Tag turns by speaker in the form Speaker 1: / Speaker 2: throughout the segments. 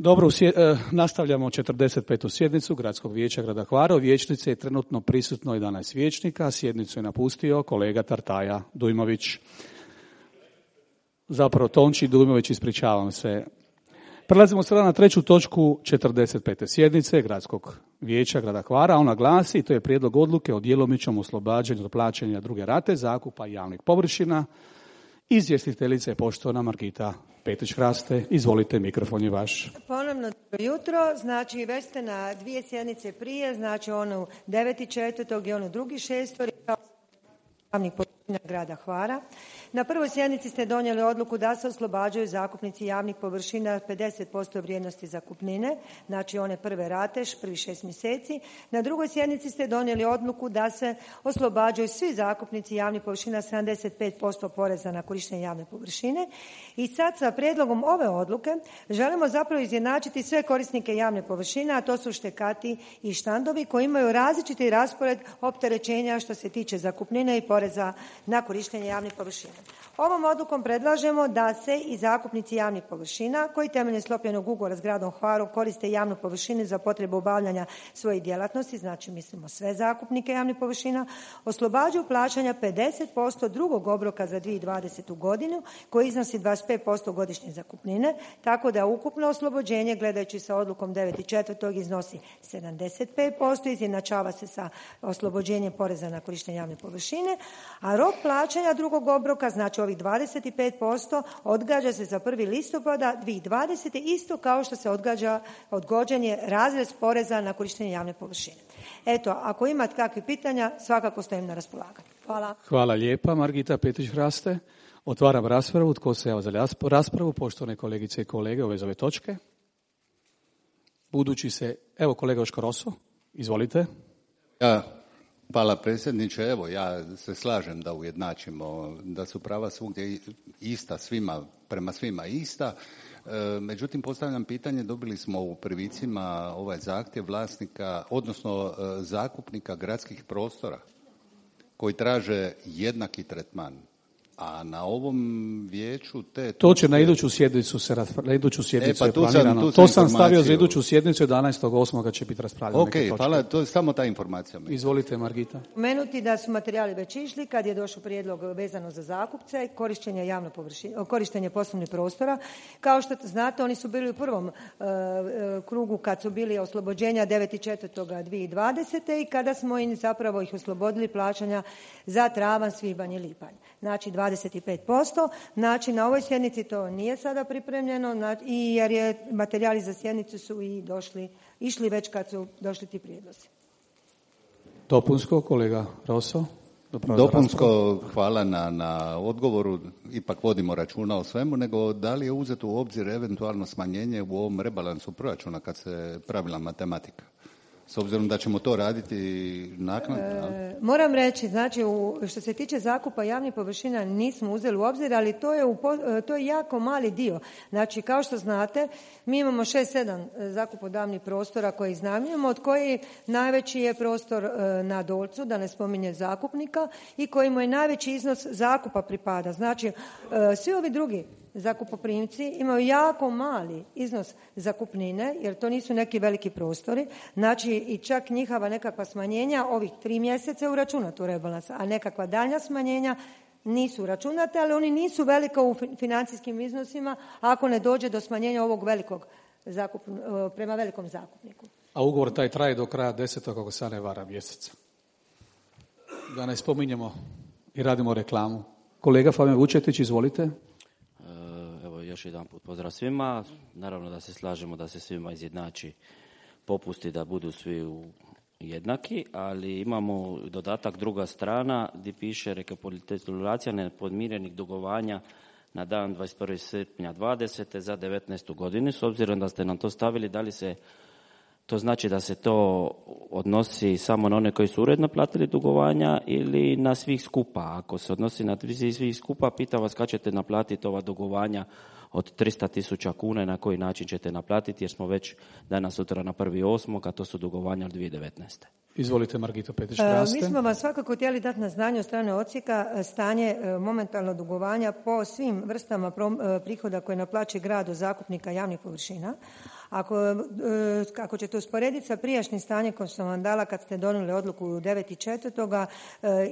Speaker 1: Dobro, nastavljamo 45. sjednicu Gradskog vijeća grada Hvara. U vijećnici je trenutno prisutno 11 vijećnika, sjednicu je napustio kolega Tartaja Dujmović. Zapravo Tonči Dujmović, ispričavam se. Prelazimo sada na treću točku 45. sjednice Gradskog vijeća grada Hvara. Ona glasi, to je prijedlog odluke o djelomičnom oslobađanju od plaćanja druge rate zakupa javnih površina. Izvjestiteljica je poštovana Margita Petić-Hraste. Izvolite, mikrofon je vaš.
Speaker 2: Ponovno dobro jutro. Znači, već ste na dvije sjednice prije, znači onu 9.4. i onu 2.6. javnih površina grada Hvara. Na prvoj sjednici ste donijeli odluku da se oslobađaju zakupnici javnih površina 50% vrijednosti zakupnine, znači one prve rate, prvih 6 mjeseci. Na drugoj sjednici ste donijeli odluku da se oslobađaju svi zakupnici javnih površina 75% poreza na korištenje javne površine. I sad sa prijedlogom ove odluke želimo zapravo izjednačiti sve korisnike javne površine, a to su štekati i štandovi koji imaju različiti raspored opterećenja što se tiče zakupnine i poreza na korištenje javnih površina. Ovom odlukom predlažemo da se i zakupnici javnih površina koji temeljem sklopljenog ugovora s gradom Hvarom koriste javnu površinu za potrebu obavljanja svojih djelatnosti, znači mislimo sve zakupnike javnih površina, oslobađaju plaćanja 50% drugog obroka za 2020. godinu koji iznosi 25% godišnje zakupnine, tako da ukupno oslobođenje gledajući sa odlukom 9.4. iznosi 75%, izjednačava se sa oslobođenjem poreza na korištenje javne površine, a rok plaćanja drugog obroka, znači ovih 25%, odgađa se za 1. listopada 2020. isto kao što se odgođanje razrez poreza na korištenje javne površine. Eto, ako imate kakvih pitanja, svakako stojim na raspolaganju. Hvala.
Speaker 1: Hvala lijepa, Margita Petić-Hraste. Otvaram raspravu. Tko se javlja za raspravu? Poštovane kolegice i kolege u vezi ove točke. Budući se, evo kolega Joško Roso, izvolite.
Speaker 3: Hvala predsjedniče. Evo, ja se slažem da ujednačimo, da su prava svugdje ista svima, prema svima ista. Međutim, postavljam pitanje, dobili smo u prvicima ovaj zahtjev vlasnika, odnosno zakupnika gradskih prostora koji traže jednaki tretman. A na ovom vijeću
Speaker 1: to će na iduću sjednicu je planirano. To sam stavio za iduću sjednicu 11.8. će biti raspravljeno.
Speaker 3: Ok, hvala, to je samo ta informacija.
Speaker 1: Izvolite, Margita.
Speaker 2: Spomenuti da su materijali već išli kad je došao prijedlog vezano za zakupce, korištenje poslovnih prostora. Kao što znate, oni su bili u prvom krugu kad su bili oslobođenja 9.4.2020. i kada smo im zapravo ih oslobodili plaćanja za travanj, svibanj i lipanj. Znači 25%. Znači na ovoj sjednici to nije sada pripremljeno jer je materijali za sjednicu su i išli već kad su došli ti prijedlozi.
Speaker 1: Dopunsko, kolega Roso.
Speaker 3: Dopunsko, hvala na odgovoru. Ipak vodimo računa o svemu, nego da li je uzeto u obzir eventualno smanjenje u ovom rebalansu proračuna kad se pravila matematika? S obzirom da ćemo to raditi naknadno.
Speaker 2: Moram reći, znači što se tiče zakupa javnih površina nismo uzeli u obzir, ali to je jako mali dio. Znači kao što znate, mi imamo 6-7 zakupodavnih prostora koje iznajmljujemo, od koji najveći je prostor na Dolcu, da ne spominje zakupnika, i kojima je najveći iznos zakupa pripada. Znači svi ovi drugi zakupoprimci imaju jako mali iznos zakupnine, jer to nisu neki veliki prostori, znači i čak njihova nekakva smanjenja ovih 3 mjeseca je uračunato u rebalansa, a nekakva daljnja smanjenja nisu uračunate, ali oni nisu velika u financijskim iznosima ako ne dođe do smanjenja ovog velikog prema velikom zakupniku.
Speaker 1: A ugovor taj traje do kraja 10. ako se ne vara mjeseca. Da ne spominjemo i radimo reklamu. Kolega Fabijan Vučetić, izvolite.
Speaker 4: Još jedan put pozdrav svima. Naravno da se slažemo da se svima izjednači popusti, da budu svi jednaki, ali imamo dodatak druga strana gdje piše rekapitulacija nepodmirenih dugovanja na dan 21. srpnja 2020. za 19. godinu. S obzirom da ste nam to stavili, da li se to znači da se to odnosi samo na one koji su uredno platili dugovanja ili na svih skupa? Ako se odnosi na svih skupa, pitam vas kad ćete naplatiti ova dugovanja od 300.000 kuna i na koji način ćete naplatiti, jer smo već danas sutra na 1.8. a to su dugovanja od 2019.
Speaker 1: Izvolite, Margito Petić-Hraste.
Speaker 2: Mi smo vas svakako htjeli dati na znanje od strane odsjeka stanje momentalno dugovanja po svim vrstama prihoda koje naplaćuje grad od zakupnika javnih površina. Ako ćete usporediti sa prijašnjim stanjem koje sam vam dala kad ste donijeli odluku 9.4.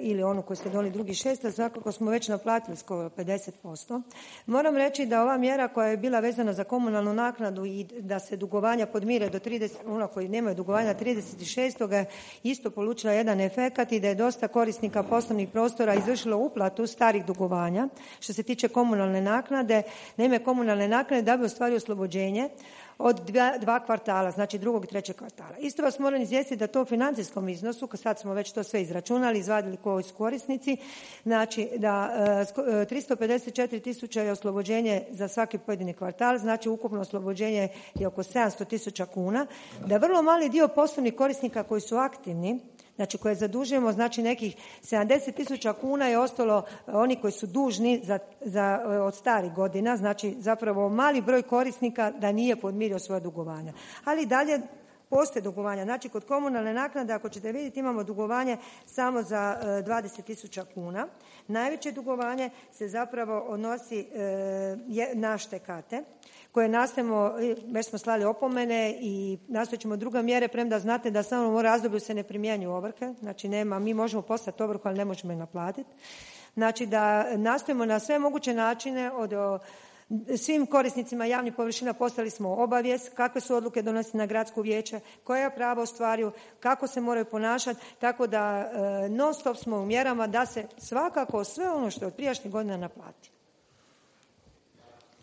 Speaker 2: Ili onu koju ste donijeli 2.6. svakako smo već naplatili skoro 50%. Moram reći da ova mjera koja je bila vezana za komunalnu naknadu i da se dugovanja podmire do 30, ono koji nemaju dugovanja 36. isto polučila jedan efekat i da je dosta korisnika poslovnih prostora izvršilo uplatu starih dugovanja. Što se tiče komunalne naknade, na ime komunalne naknade da bi ostvario oslobođenje od 2 kvartala, znači 2. i 3. kvartala. Isto vas moram izvijestiti da to u financijskom iznosu, sad smo već to sve izračunali, izvadili koji su korisnici, znači da 354.000 je oslobođenje za svaki pojedini kvartal, znači ukupno oslobođenje je oko 700.000 kuna, da vrlo mali dio poslovnih korisnika koji su aktivni, znači koje zadužujemo, znači nekih 70.000 kuna je ostalo oni koji su dužni od starih godina, znači zapravo mali broj korisnika da nije podmirio svoja dugovanja. Ali dalje postoje dugovanja, znači kod komunalne naknade ako ćete vidjeti imamo dugovanje samo za 20.000 kuna. Najveće dugovanje se zapravo odnosi na štekate koje nastojimo, već smo slali opomene i nastojat ćemo druge mjere, premda znate da samo u razdoblju se ne primjenjuju ovrhe, znači mi možemo poslati ovrhu, ali ne možemo je naplatiti. Znači da nastojimo na sve moguće načine svim korisnicima javnih površina poslali smo obavijest kakve su odluke donosi na gradsko vijeće, koja prava ostvaruju, kako se moraju ponašati, tako da non stop smo u mjerama da se svakako sve ono što je od prijašnjih godina naplati.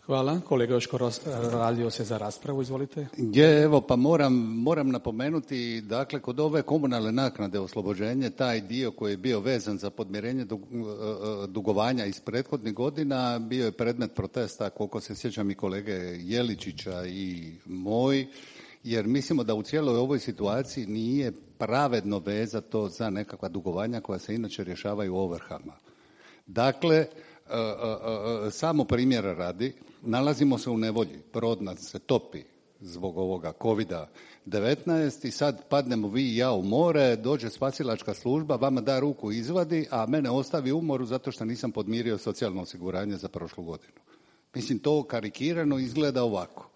Speaker 1: Hvala. Kolega Joško radio se za raspravu, izvolite.
Speaker 3: Evo, pa moram napomenuti, dakle, kod ove komunalne naknade oslobođenje, taj dio koji je bio vezan za podmirenje dugovanja iz prethodnih godina, bio je predmet protesta, koliko se sjećam i kolege Jeličića i moj, jer mislimo da u cijeloj ovoj situaciji nije pravedno vezati to za nekakva dugovanja koja se inače rješavaju ovrhama. Dakle, samo primjera radi, nalazimo se u nevolji, brod nas se topi zbog ovoga COVID-19 i sad padnemo vi i ja u more, dođe spasilačka služba, vama da ruku izvadi, a mene ostavi u moru zato što nisam podmirio socijalno osiguranje za prošlu godinu. Mislim, to karikirano izgleda ovako.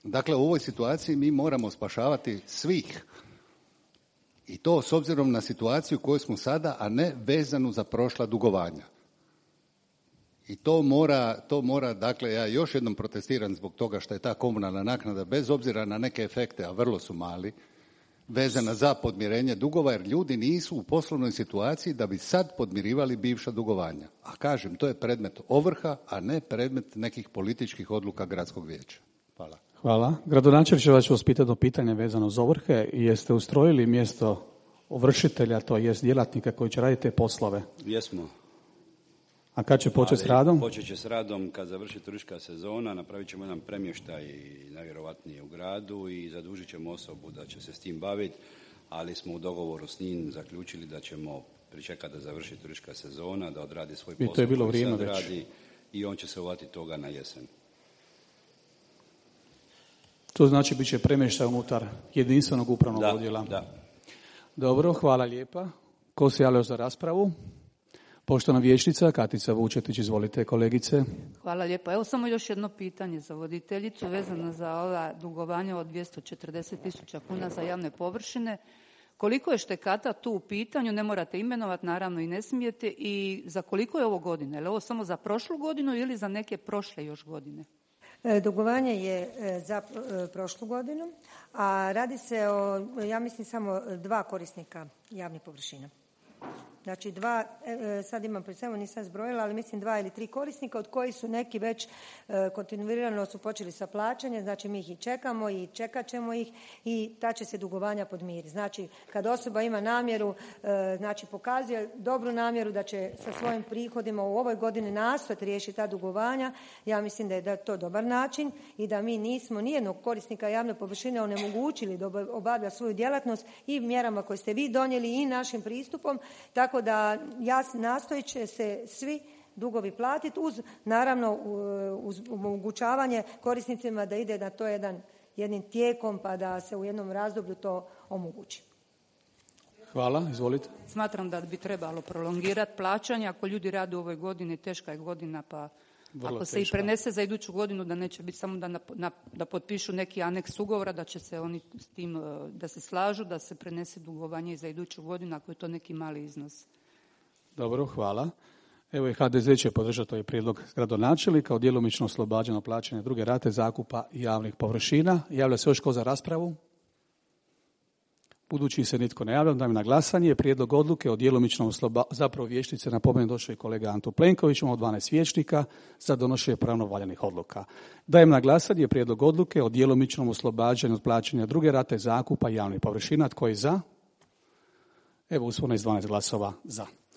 Speaker 3: Dakle, u ovoj situaciji mi moramo spašavati svih. I to s obzirom na situaciju koju smo sada, a ne vezanu za prošla dugovanja. I to mora, dakle, ja još jednom protestiram zbog toga što je ta komunalna naknada, bez obzira na neke efekte, a vrlo su mali, vezana za podmirenje dugova, jer ljudi nisu u poslovnoj situaciji da bi sad podmirivali bivša dugovanja. A kažem, to je predmet ovrha, a ne predmet nekih političkih odluka gradskog vijeća. Hvala.
Speaker 1: Hvala. Gradonačelnik će vas pitati pitanje vezano za ovrhe. Jeste ustrojili mjesto ovršitelja, to jest djelatnika koji će raditi te poslove?
Speaker 5: Jesmo.
Speaker 1: A kad će početi s radom?
Speaker 5: Počet će s radom kad završi turistička sezona, napravit ćemo jedan premještaj najvjerovatnije u gradu i zadužit ćemo osobu da će se s tim baviti, ali smo u dogovoru s njim zaključili da ćemo pričekati da završi turistička sezona, da odradi svoj posao.
Speaker 1: I to je bilo vrijeme već.
Speaker 5: Radi, i on će se uvatiti toga na jesen.
Speaker 1: To znači bit će premještaj unutar jedinstvenog upravnog odjela.
Speaker 5: Da.
Speaker 1: Dobro, hvala lijepa. Ko se javlja za raspravu? Poštovana vijećnica Katica Vučetić, izvolite kolegice.
Speaker 6: Hvala lijepo. Evo samo još jedno pitanje za voditeljicu vezano za ova dugovanja od 240.000 kuna za javne površine. Koliko je štekata tu u pitanju, ne morate imenovati, naravno i ne smijete, i za koliko je ovo godine? Je li ovo samo za prošlu godinu ili za neke prošle još godine?
Speaker 2: Dugovanje je za prošlu godinu, a radi se o, ja mislim, samo 2 korisnika javnih površina. Znači 2, sad imam pred sobom, nisam zbrojila, ali mislim 2 ili 3 korisnika, od kojih su neki već kontinuirano su počeli sa plaćanjem, znači mi ih i čekamo i čekat ćemo ih i ta će se dugovanja podmiriti. Znači kad osoba ima namjeru, znači pokazuje dobru namjeru da će sa svojim prihodima u ovoj godini nastojati riješiti ta dugovanja, ja mislim da je to dobar način i da mi nismo nijednog korisnika javne površine onemogućili da obavlja svoju djelatnost i mjerama koje ste vi donijeli i našim pristupom, tako da nastojit će se svi dugovi platiti uz, naravno, uz omogućavanje korisnicima da ide na to jednim tijekom pa da se u jednom razdoblju to omogući.
Speaker 1: Hvala, izvolite.
Speaker 6: Smatram da bi trebalo prolongirati plaćanje. Ako ljudi rade u ovoj godini, teška je godina, pa Ako se i prenese za iduću godinu, da neće biti samo da potpišu neki aneks ugovora, da će se oni s tim, da se slažu, da se prenese dugovanje i za iduću godinu, ako je to neki mali iznos.
Speaker 1: Dobro, hvala. Evo i HDZ će podržati ovaj prijedlog gradonačelnika o djelomično oslobađano plaćanje druge rate zakupa javnih površina. Javlja se još tko za raspravu? Budući se nitko ne javlja, dajem na glasanje prijedlog odluke o djelomičnom zapravo vijećnice napomenem došao je kolega Anto Plenković, imamo 12 vijećnika za donošenje pravno valjanih odluka. Dajem na glasanje prijedlog odluke o djelomičnom oslobađanju od plaćanja druge rate zakupa javnih površina. Tko je za? Evo usvojeno je 12 glasova za.